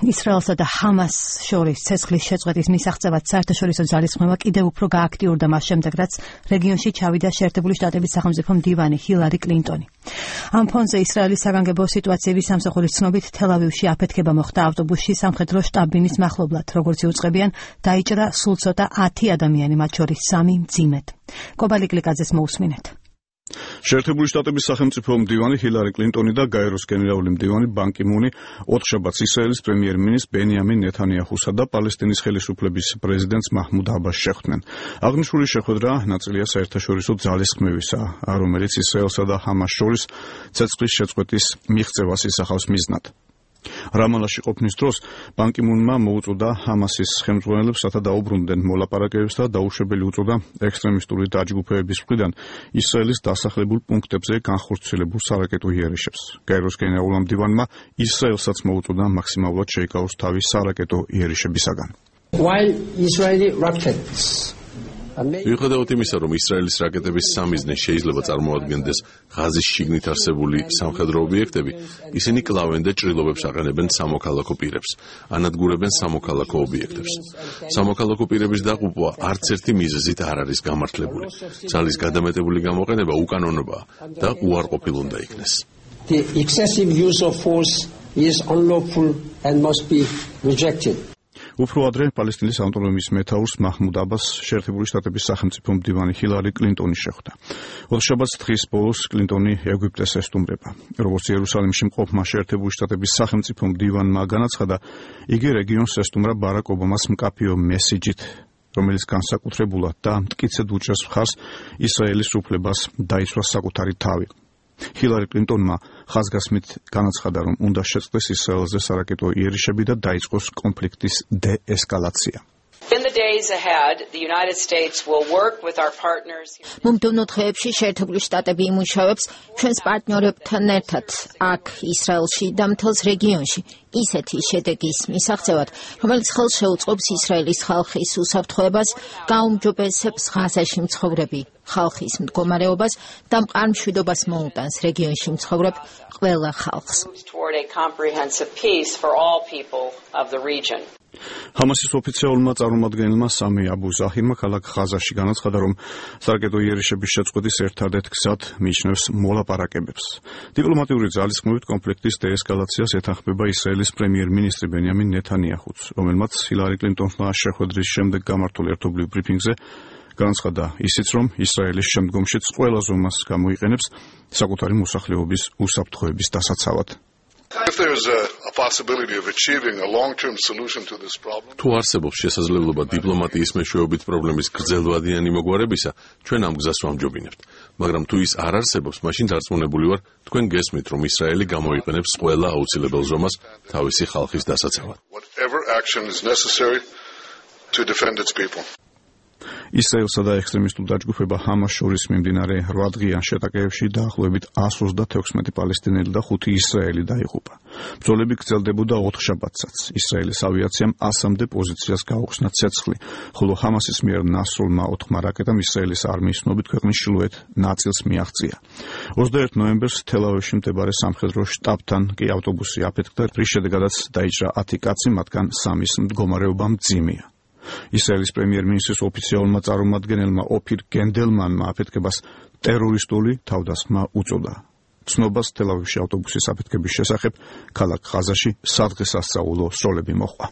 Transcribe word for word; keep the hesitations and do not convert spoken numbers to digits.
ისრაელსა და ჰამას შორის ცეცხლის შეწყვეტის მისაღწევად საერთაშორისო ძალისხმევა კიდევ უფრო გააქტიურდა მას შემდეგ, რაც რეგიონში ჩავიდა შეერთებული შტატების სახელმწიფო მდივანი ჰილარი კლინტონი. ამ ფონზე ისრაელის საგანგებო სიტუაციების სამსახურის ცნობით თელ-ავივში აფეთქება მოხდა ავტობუსში სამხედრო შტაბ-ბინის მახლობლად, როგორც იუწყებიან, დაიჭრა სულ ცოტა ათი ადამიანი, მათ შორის სამი მძიმედ. კობალი გლიკაძეს მოусმინეთ. შეერთებული შტატების სახელმწიფო მდივანი ჰილარი კლინტონი და გაეროს გენერალური მდივანი ბან კი მუნი ოთხშაბათს ისრაელის პრემიერ-მინისტრ ბენიამინ ნეთანიაჰუსა და პალესტინის ხელისუფლების პრეზიდენტს მაჰმუდ აბასს შეხვდნენ. აღნიშნული შეხვედრა ნაწილია საერთაშორისო ძალისხმევისა, რომელიც ისრაელსა და ჰამას შორის ცეცხლის შეწყვეტის მიღწევას ისახავს მიზნად. რამალაში ყოფნის დროს ბან კი მუნმა მოუწოდა ჰამასის ხელმძღვანელებს, რათა დაუბრუნდნენ მოლაპარაკებებს და დაუშვებელი უწოდა ექსტრემისტული დაჯგუფებების მხრიდან ისრაელის დასახლებულ პუნქტებზე განხორციელებულ სარაკეტო იერიშებს. გაეროს გენერალურმა მდივანმა ისრაელსაც მოუწოდა მაქსიმალურად შეიკავოს თავი სარაკეტო იერიშებისაგან. While Israeli rockets მიუხედავად იმისა, რომ ისრაელის რაკეტების სამიზნე შეიძლება წარმოადგენდეს ღაზის შიგნით არსებული სამხედრო ობიექტები, ისინი კლავენ და ჭრილობებს აყენებენ სამოქალაქო პირებს, ანადგურებენ სამოქალაქო ობიექტებს. სამოქალაქო პირების დაყუპვა არც ერთი მიზეზით არ არის გამართლებული. ძალის გადამეტებული გამოყენება უკანონობაა და უარყოფილ უნდა იქნეს. The excessive use of force is unlawful and must be rejected. უფრო ადრე პალესტინის ავტონომიის მეთაურს მაჰმუდ აბასს შეერთებული შტატების სახელმწიფო მდივანი ჰილარი კლინტონი შეხვდა. ოთხშაბათს დღის ბოლოს კლინტონი ეგვიპტეს ესტუმრება. როგორც იერუსალიმში მყოფმა შეერთებული შტატების სახელმწიფო მდივანმა განაცხადა, იგი რეგიონს ესტუმრა ბარაკ ობამას მკაფიო მესიჯით, რომელიც განსაკუთრებულად და მტკიცედ უჭერს მხარს ისრაელის უფლებას დაიცვას საკუთარი თავი. ჰილარი კლინტონმა ხაზგასმით განაცხადა, რომ უნდა შეწყდეს ისრაელზე სარაკეტო იერიშები და დაიწყოს კონფლიქტის დეესკალაცია. In the days ahead, the United States will work with our partners. მომდევნო დღეებში შეერთებული შტატები იმუშავებს ჩვენს პარტნიორებთან ერთად აქ ისრაელში და მთელს რეგიონში ისეთი შედეგის მისაღწევად, რომელიც ხელს შეუწყობს ისრაელის ხალხის უსაფრთხოებას, გაუმჯობესებს ღაზაში მცხოვრები ხალხის მდგომარეობას და მყარ მშვიდობას მოუტანს რეგიონში მცხოვრებ ყველა ხალხს. Toward a comprehensive peace for all people of the region. ჰამასის ოფიციალურმა წარმომადგენელმა სამი აბუ ზაჰირმა ქალაქ ღაზაში განაცხადა, რომ სარაკეტო იერიშების შეწყვეტის ერთადერთ გზად მიიჩნევს მოლაპარაკებებს. დიპლომატიური ძალისხმევით კონფლიქტის დეესკალაციას ეთანხმება ისრაელის პრემიერ-მინისტრი ბენიამინ ნეთანიაჰუც, რომელმაც ჰილარი კლინტონმა შეხვედრის შემდეგ გამართულ ერთობლივ ბრიფინგზე განაცხადა ისიც, რომ ისრაელის შემდგომშიც ყველა ზომას გამოიყენებს საკუთარი მოსახლეობის უსაფრთხოების დასაცავად. If there is a, a possibility of achieving a long-term solution to this problem, თუ არსებობს შესაძლებლობა დიპლომატიის მეშვეობით პრობლემის გრძელვადიანი მოგვარებისა, ჩვენ ამ გზას ვამჯობინებთ. მაგრამ თუ ის არ არსებობს, მაშინ დარწმუნებული ვარ, თქვენ გესმით, რომ ისრაელი გამოიყენებს ყველა აუცილებელ ზომას თავისი ხალხის დასაცავად. whatever action is necessary to defend its people. ისრაელსა და ექსტრემისტულ დაჯგუფება ჰამას შორის მიმდინარე რვადღიან შეტაკებებში დაახლოებით εκατს ოცდაექვსმეტი პალესტინელი და ხუთი ისრაელი დაიღუპა. ბრძოლები გრძელდებოდა ოთხშაბათსაც. ისრაელის ავიაციამ ასამდე პოზიციას გაუხსნა ცეცხლი, ხოლო ჰამასის მიერ ნასრულმა ოთხმა რაკეტამ ისრაელის არმიის ცნობით ქვეყნის ჩრდილოეთ ნაწილს მიაღწია. ოცდაერთი ნოემბერს თელ-ავივში მდებარე სამხედრო შტაბთან კი ავტობუსი აფეთქდა, რის შედეგადაც დაიჭრა ათი კაცი, მათგან სამის მდგომარეობა მძიმეა. ისრაელის პრემიერ-მინისტრის ოფიციალურმა წარმომადგენელმა ოფირ გენდელმანმა აფეთქებას ტერორისტული თავდასხმა უწოდა. ცნობას თელ-ავივში ავტობუსის აფეთქების შესახებ ქალაქ ღაზაში სადღესასწაულო სროლები მოჰყვა.